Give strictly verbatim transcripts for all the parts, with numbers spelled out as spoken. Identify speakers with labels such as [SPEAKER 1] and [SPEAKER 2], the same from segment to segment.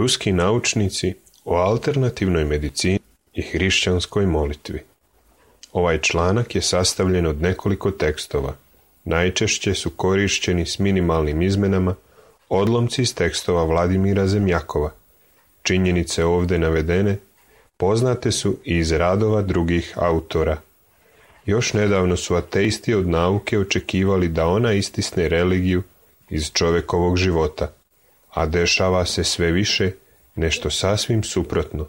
[SPEAKER 1] Ruski naučnici o alternativnoj medicini i hrišćanskoj molitvi. Ovaj članak je sastavljen od nekoliko tekstova. Najčešće su korišćeni s minimalnim izmenama odlomci iz tekstova Vladimira Zemljakova. Činjenice ovdje navedene poznate su i iz radova drugih autora. Još nedavno su ateisti od nauke očekivali da ona istisne religiju iz čovjekovog života, a dešava se sve više nešto sasvim suprotno.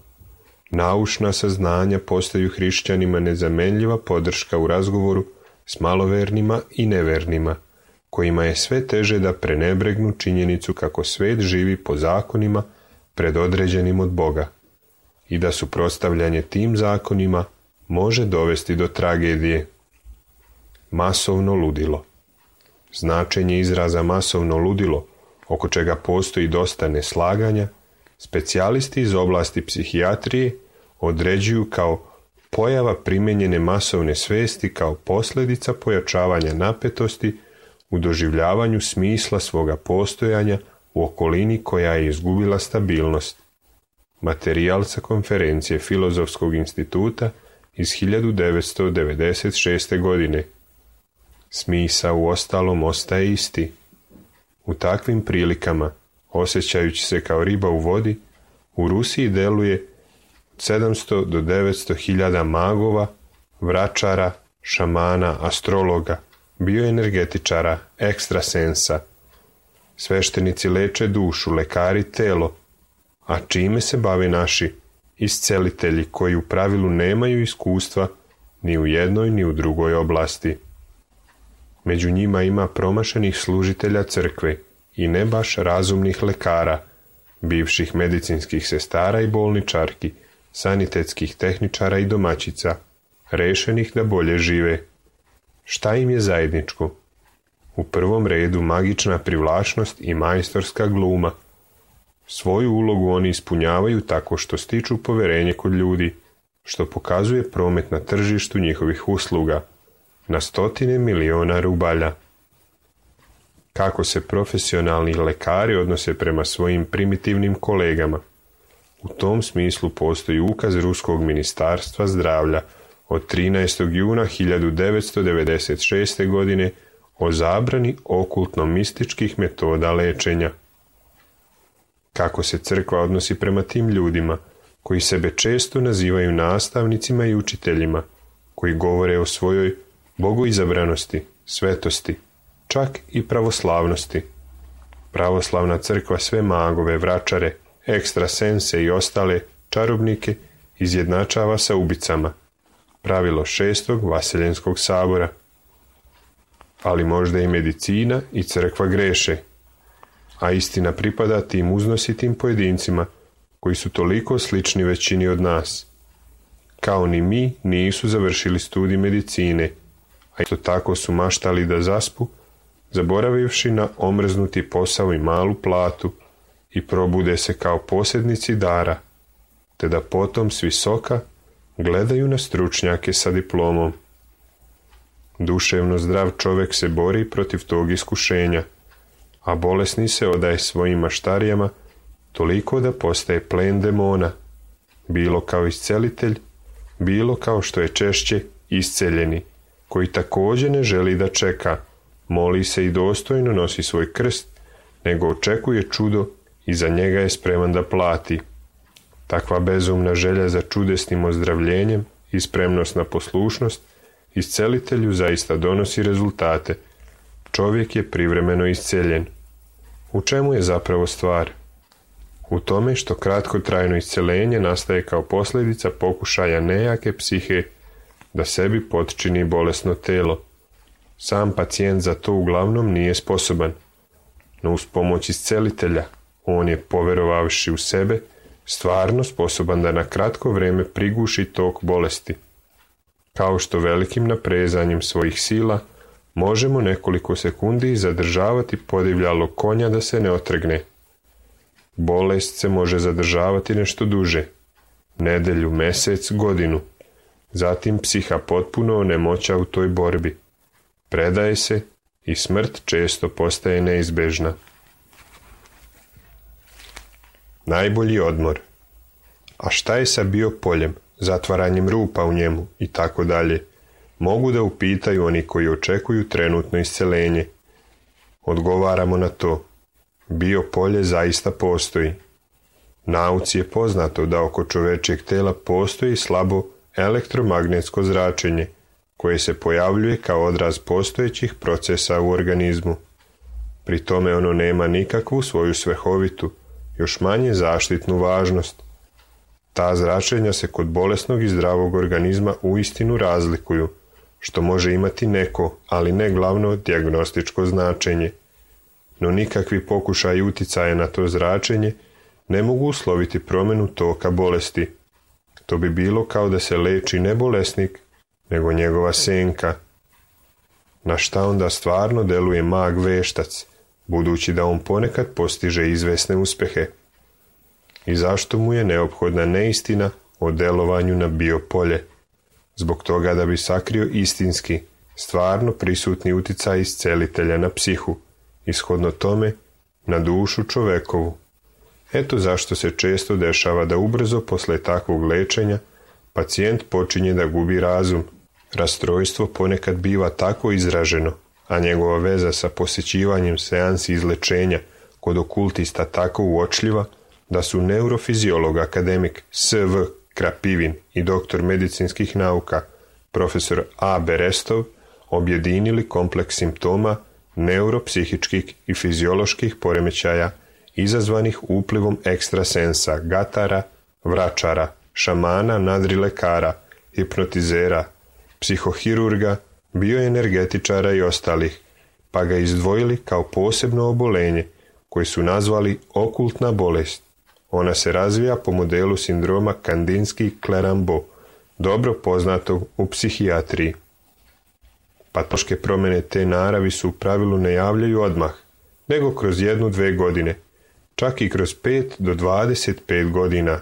[SPEAKER 1] Naučna saznanja postaju hrišćanima nezamenljiva podrška u razgovoru s malovernima i nevernima, kojima je sve teže da prenebregnu činjenicu kako svet živi po zakonima predodređenim od Boga i da suprotstavljanje tim zakonima može dovesti do tragedije. Masovno ludilo. Značenje izraza masovno ludilo, oko čega postoji dosta neslaganja, specijalisti iz oblasti psihijatrije određuju kao pojava primijenjene masovne svesti kao posljedica pojačavanja napetosti u doživljavanju smisla svoga postojanja u okolini koja je izgubila stabilnost. Materijal sa konferencije Filozofskog instituta iz hiljadu devetsto devedeset šeste. godine. Smisao u ostalom ostaje isti. U takvim prilikama, osjećajući se kao riba u vodi, u Rusiji deluje sedamsto do devetsto hiljada magova, vračara, šamana, astrologa, bioenergetičara, ekstrasensa. Sveštenici leče dušu, lekari telo, a čime se bave naši iscelitelji koji u pravilu nemaju iskustva ni u jednoj ni u drugoj oblasti. Među njima ima promašenih služitelja crkve i ne baš razumnih lekara, bivših medicinskih sestara i bolničarki, sanitetskih tehničara i domaćica, rešenih da bolje žive. Šta im je zajedničko? U prvom redu magična privlačnost i majstorska gluma. Svoju ulogu oni ispunjavaju tako što stiču poverenje kod ljudi, što pokazuje promet na tržištu njihovih usluga, na stotine miliona rubalja. Kako se profesionalni lekari odnose prema svojim primitivnim kolegama? U tom smislu postoji ukaz Ruskog ministarstva zdravlja od trinaestog juna hiljadu devetsto devedeset šeste. godine o zabrani okultno-mističkih metoda lečenja. Kako se crkva odnosi prema tim ljudima, koji sebe često nazivaju nastavnicima i učiteljima, koji govore o svojoj bogoizabranosti, svetosti, čak i pravoslavnosti. Pravoslavna crkva sve magove, vračare, ekstrasense i ostale čarobnike izjednačava sa ubicama. Pravilo šestog Vaseljenskog sabora. Ali možda i medicina i crkva greše, a istina pripada tim uznositim pojedincima koji su toliko slični većini od nas. Kao ni mi nisu završili studij medicine, a isto tako su maštali da zaspu, zaboravivši na omrznuti posao i malu platu, i probude se kao posjednici dara, te da potom s visoka gledaju na stručnjake sa diplomom. Duševno zdrav čovjek se bori protiv tog iskušenja, a bolesni se odaje svojim maštarijama toliko da postaje plen demona, bilo kao iscelitelj, bilo kao što je češće isceljeni, koji također ne želi da čeka, moli se i dostojno nosi svoj krst, nego očekuje čudo i za njega je spreman da plati. Takva bezumna želja za čudesnim ozdravljenjem i spremnost na poslušnost iscelitelju zaista donosi rezultate. Čovjek je privremeno isceljen. U čemu je zapravo stvar? U tome što kratkotrajno isceljenje nastaje kao posljedica pokušaja nejake psihe da sebi potčini bolesno telo. Sam pacijent za to uglavnom nije sposoban, no uz pomoć iscelitelja on je, poverovavši u sebe, stvarno sposoban da na kratko vrijeme priguši tok bolesti. Kao što velikim naprezanjem svojih sila možemo nekoliko sekundi zadržavati podivljalog konja da se ne otrgne. Bolest se može zadržavati nešto duže, nedelju, mjesec, godinu. Zatim psiha potpuno onemoća u toj borbi. Predaje se i smrt često postaje neizbežna. Najbolji odmor. A šta je sa biopoljem, zatvaranjem rupa u njemu i tako dalje? Mogu da upitaju oni koji očekuju trenutno isceljenje. Odgovaramo na to. Biopolje zaista postoji. Nauci je poznato da oko čovečijeg tela postoji slabo elektromagnetsko zračenje, koje se pojavljuje kao odraz postojećih procesa u organizmu. Pri tome ono nema nikakvu svoju svrhovitu, još manje zaštitnu važnost. Ta zračenja se kod bolesnog i zdravog organizma uistinu razlikuju, što može imati neko, ali ne glavno dijagnostičko značenje. No nikakvi pokušaji uticaja na to zračenje ne mogu usloviti promjenu toka bolesti. To bi bilo kao da se leči ne bolesnik, nego njegova senka. Na šta onda stvarno deluje mag veštac, budući da on ponekad postiže izvesne uspjehe? I zašto mu je neophodna neistina o delovanju na biopolje? Zbog toga da bi sakrio istinski, stvarno prisutni uticaj iscelitelja na psihu, ishodno tome na dušu čovekovu. Eto zašto se često dešava da ubrzo posle takvog lečenja pacijent počinje da gubi razum. Rastrojstvo ponekad biva tako izraženo, a njegova veza sa posjećivanjem seansi izlečenja kod okultista tako uočljiva, da su neurofiziolog akademik S V Krapivin i doktor medicinskih nauka profesor A Berestov objedinili kompleks simptoma neuropsihičkih i fizioloških poremećaja izazvanih uplivom ekstrasensa, gatara, vračara, šamana, nadrilekara, hipnotizera, psihohirurga, bioenergetičara i ostalih, pa ga izdvojili kao posebno obolenje koje su nazvali okultna bolest. Ona se razvija po modelu sindroma Kandinski-Clerambault, dobro poznatog u psihijatriji. Patološke promjene te naravi su u pravilu ne javljaju odmah, nego kroz jednu, dve godine, čak i kroz pet do dvadeset pet godina,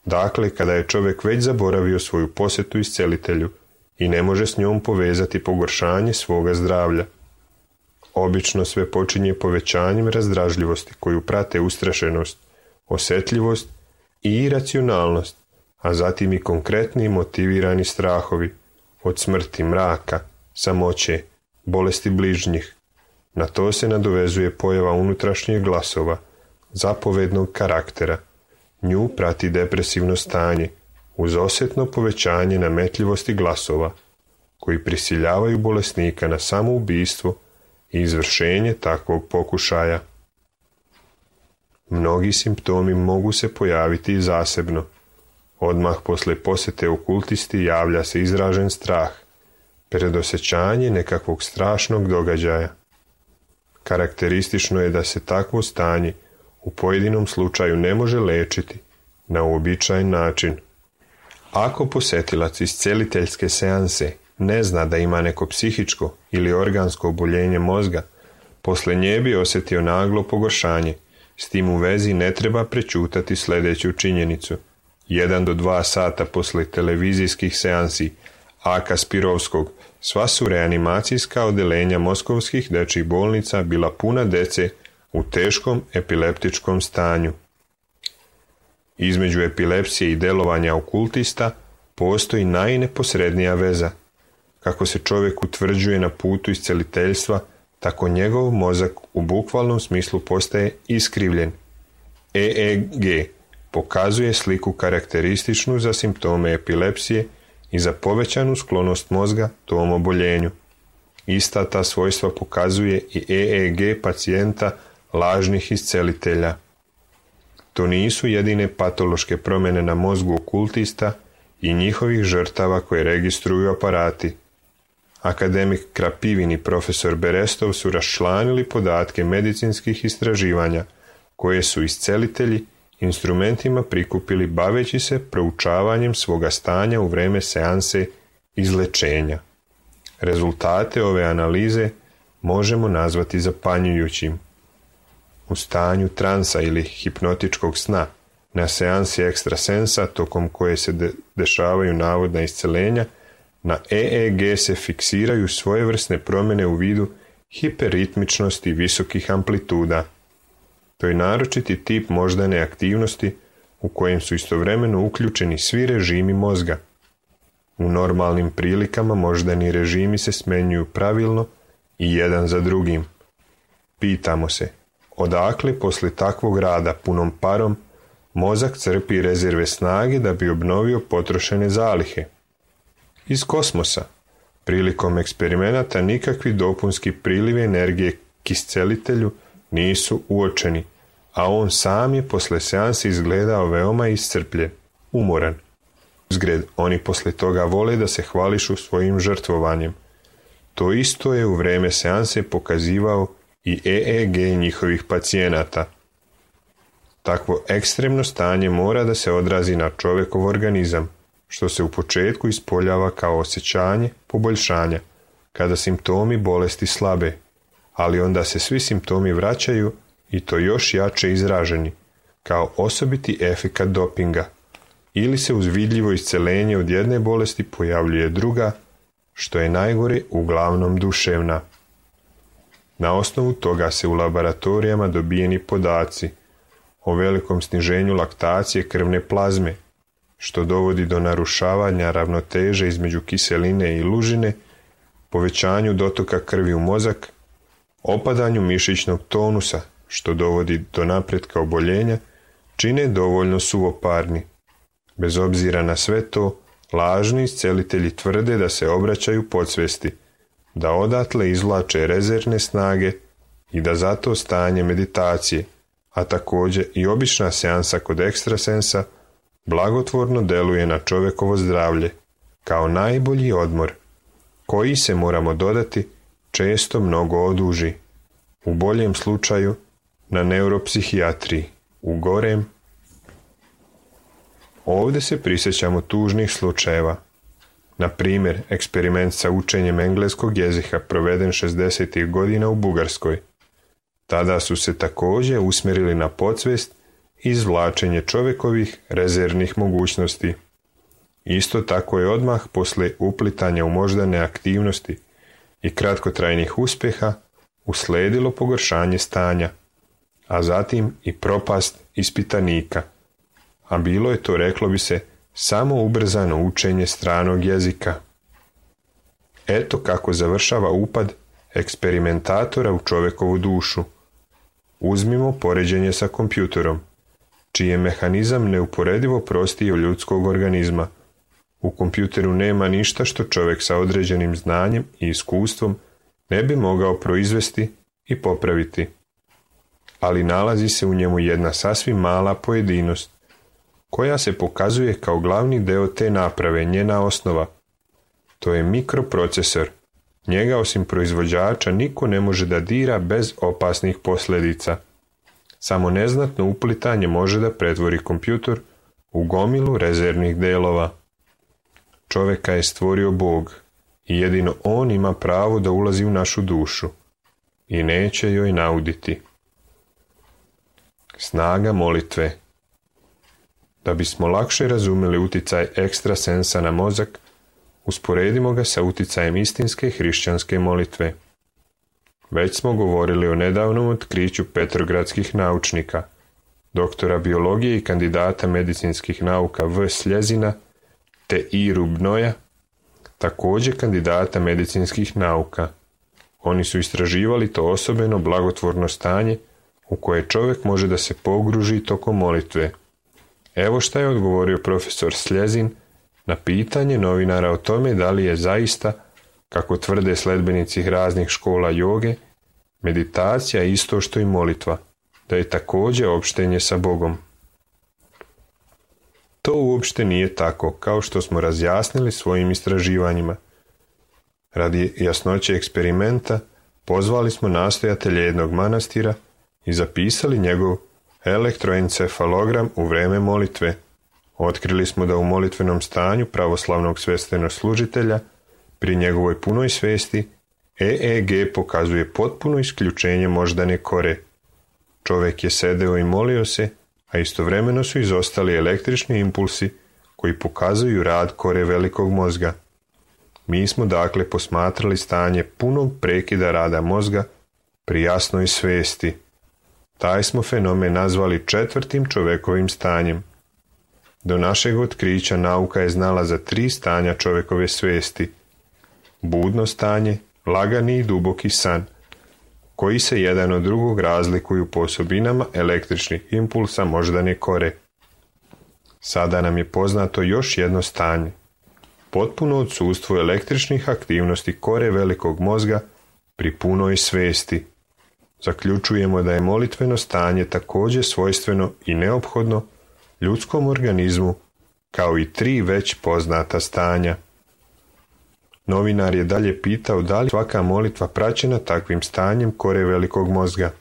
[SPEAKER 1] dakle kada je čovjek već zaboravio svoju posjetu iscelitelju i ne može s njom povezati pogoršanje svoga zdravlja. Obično sve počinje povećanjem razdražljivosti koju prate ustrašenost, osjetljivost i iracionalnost, a zatim i konkretni motivirani strahovi od smrti, mraka, samoće, bolesti bližnjih. Na to se nadovezuje pojava unutrašnjih glasova, zapovednog karaktera. Nju prati depresivno stanje, uz osjetno povećanje nametljivosti glasova, koji prisiljavaju bolesnika na samoubistvo i izvršenje takvog pokušaja. Mnogi simptomi mogu se pojaviti i zasebno. Odmah posle posjete okultisti javlja se izražen strah, predosjećanje nekakvog strašnog događaja. Karakteristično je da se takvo stanje u pojedinom slučaju ne može lečiti na uobičajen način. Ako posjetilac isceliteljske seanse ne zna da ima neko psihičko ili organsko oboljenje mozga, posle nje bi osjetio naglo pogoršanje. S tim u vezi ne treba prečutati sljedeću činjenicu. Jedan do dva sata posle televizijskih seansi Aka Spirovskog sva su reanimacijska odelenja moskovskih dečjih bolnica bila puna dece u teškom epileptičkom stanju. Između epilepsije i delovanja okultista postoji najneposrednija veza. Kako se čovjek utvrđuje na putu isceliteljstva, tako njegov mozak u bukvalnom smislu postaje iskrivljen. E E G pokazuje sliku karakterističnu za simptome epilepsije i za povećanu sklonost mozga tom oboljenju. Ista ta svojstva pokazuje i E E G pacijenta lažnih iscelitelja. To nisu jedine patološke promjene na mozgu okultista i njihovih žrtava koje registruju aparati. Akademik Krapivin i profesor Berestov su raščlanili podatke medicinskih istraživanja koje su iscelitelji instrumentima prikupili baveći se proučavanjem svoga stanja u vreme seanse izlečenja. Rezultate ove analize možemo nazvati zapanjujućim. U stanju transa ili hipnotičkog sna, na seansi ekstrasensa tokom koje se de- dešavaju navodna iscelenja, na E E G se fiksiraju svojevrsne promjene u vidu hiperritmičnosti visokih amplituda. To je naročiti tip moždane aktivnosti u kojem su istovremeno uključeni svi režimi mozga. U normalnim prilikama moždani režimi se smenjuju pravilno i jedan za drugim. Pitamo se, odakle posle takvog rada punom parom mozak crpi rezerve snage da bi obnovio potrošene zalihe. Iz kosmosa, prilikom eksperimenata nikakvi dopunski prilivi energije kiscelitelju nisu uočeni, a on sam je posle seanse izgledao veoma iscrpljen, umoran. Uzgred, oni posle toga vole da se hvališu svojim žrtvovanjem. To isto je u vreme seanse pokazivao i E E G njihovih pacijenata. Takvo ekstremno stanje mora da se odrazi na čovekov organizam, što se u početku ispoljava kao osjećanje poboljšanja, kada simptomi bolesti slabe, ali onda se svi simptomi vraćaju i to još jače izraženi, kao osobiti efekat dopinga, ili se uz vidljivo iscelenje od jedne bolesti pojavljuje druga, što je najgore uglavnom duševna. Na osnovu toga se u laboratorijama dobijeni podaci o velikom sniženju laktacije krvne plazme, što dovodi do narušavanja ravnoteže između kiseline i lužine, povećanju dotoka krvi u mozak, opadanju mišićnog tonusa, što dovodi do napretka oboljenja, čine dovoljno suvoparni. Bez obzira na sve to, lažni iscelitelji tvrde da se obraćaju podsvesti, da odatle izvlače rezervne snage i da zato stanje meditacije, a također i obična seansa kod ekstrasensa, blagotvorno deluje na čovekovo zdravlje, kao najbolji odmor, koji se, moramo dodati, često mnogo oduži. U boljem slučaju na neuropsihijatriji, u gorem. Ovdje se prisjećamo tužnih slučajeva. Na primjer, eksperiment sa učenjem engleskog jezika proveden šezdesetih godina u Bugarskoj. Tada su se također usmjerili na podsvest i izvlačenje čovjekovih rezervnih mogućnosti. Isto tako je odmah posle uplitanja u moždane aktivnosti i kratkotrajnih uspjeha usledilo pogoršanje stanja, a zatim i propast ispitanika, a bilo je to, reklo bi se, samo ubrzano učenje stranog jezika. Eto kako završava upad eksperimentatora u čovjekovu dušu. Uzmimo poređenje sa kompjuterom, čiji je mehanizam neuporedivo prostiji od ljudskog organizma. U kompjuteru nema ništa što čovjek sa određenim znanjem i iskustvom ne bi mogao proizvesti i popraviti. Ali nalazi se u njemu jedna sasvim mala pojedinost, koja se pokazuje kao glavni deo te naprave, njena osnova. To je mikroprocesor. Njega osim proizvođača niko ne može da dira bez opasnih posljedica. Samo neznatno uplitanje može da pretvori kompjutor u gomilu rezervnih delova. Čoveka je stvorio Bog i jedino on ima pravo da ulazi u našu dušu i neće joj nauditi. Snaga molitve. Da bismo lakše razumjeli uticaj ekstrasensa na mozak, usporedimo ga sa uticajem istinske hrišćanske molitve. Već smo govorili o nedavnom otkriću petrogradskih naučnika, doktora biologije i kandidata medicinskih nauka V. Sljezina te I. Rubnoja, također kandidata medicinskih nauka. Oni su istraživali to osobeno blagotvorno stanje u koje čovjek može da se pogruži tokom molitve. Evo šta je odgovorio profesor Sljezin na pitanje novinara o tome da li je zaista, kako tvrde sledbenici raznih škola joge, meditacija isto što i molitva, da je također opštenje sa Bogom. To uopšte nije tako, kao što smo razjasnili svojim istraživanjima. Radi jasnoće eksperimenta pozvali smo nastojatelje jednog manastira i zapisali njegov elektroencefalogram u vreme molitve. Otkrili smo da u molitvenom stanju pravoslavnog sveštenoslužitelja pri njegovoj punoj svesti E E G pokazuje potpuno isključenje moždane kore. Čovjek je sedeo i molio se, a istovremeno su izostali električni impulsi koji pokazuju rad kore velikog mozga. Mi smo dakle posmatrali stanje punog prekida rada mozga pri jasnoj svesti. Taj smo fenomen nazvali četvrtim čovekovim stanjem. Do našeg otkrića nauka je znala za tri stanja čovekove svesti. Budno stanje, lagani i duboki san, koji se jedan od drugog razlikuju po osobinama električnih impulsa moždane kore. Sada nam je poznato još jedno stanje. Potpuno odsustvo električnih aktivnosti kore velikog mozga pri punoj svesti. Zaključujemo da je molitveno stanje također svojstveno i neophodno ljudskom organizmu, kao i tri već poznata stanja. Novinar je dalje pitao da li svaka molitva praćena takvim stanjem kore velikog mozga.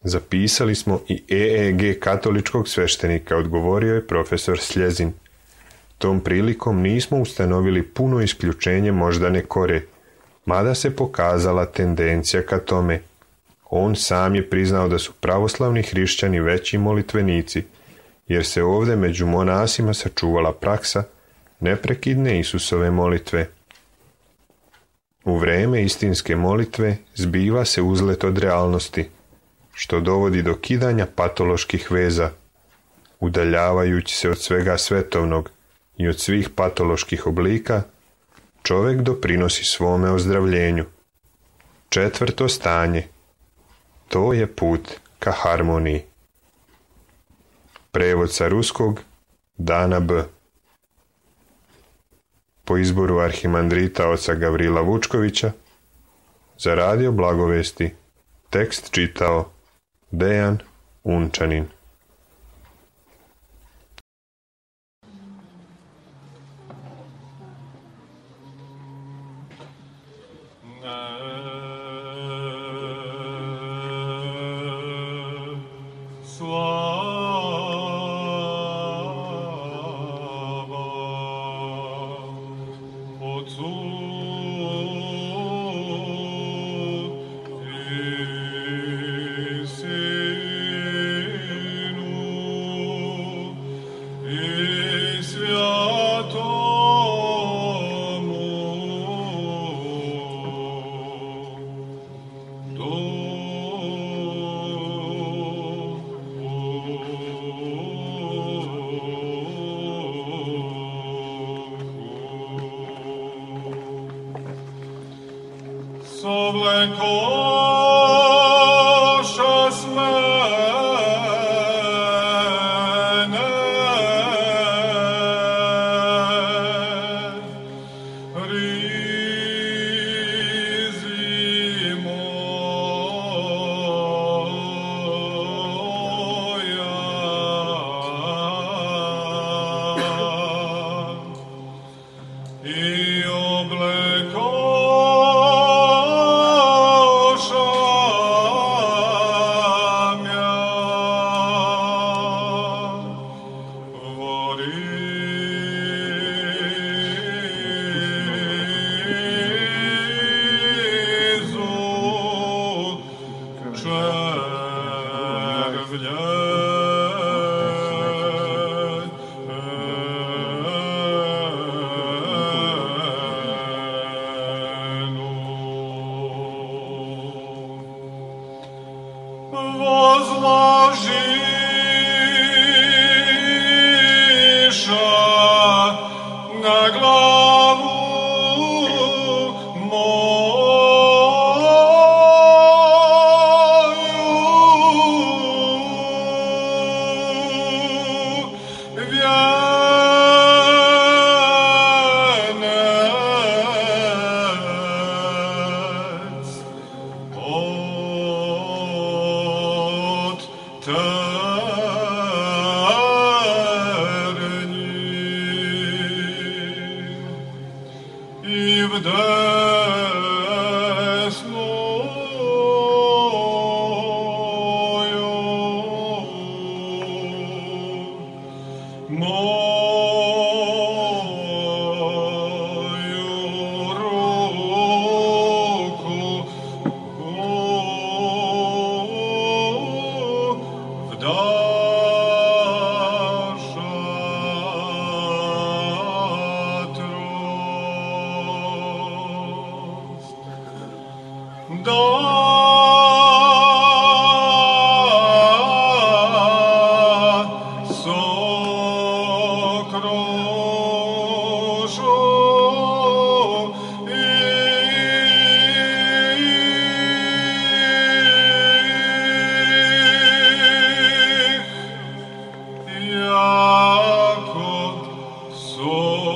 [SPEAKER 1] Zapisali smo i E E G katoličkog sveštenika, odgovorio je profesor Sljezin. Tom prilikom nismo ustanovili puno isključenje moždane kore, mada se pokazala tendencija ka tome. On sam je priznao da su pravoslavni hrišćani veći molitvenici, jer se ovdje među monasima sačuvala praksa neprekidne Isusove molitve. U vreme istinske molitve zbiva se uzlet od realnosti, što dovodi do kidanja patoloških veza, udaljavajući se od svega svetovnog i od svih patoloških oblika, čovjek doprinosi svome ozdravljenju. Četvrto stanje. To je put ka harmoniji. Prevod sa ruskog Dana B. Po izboru arhimandrita oca Gavrila Vučkovića, za radio Blagovesti, tekst čitao Dejan Unčanin.
[SPEAKER 2] Yeah. Lord.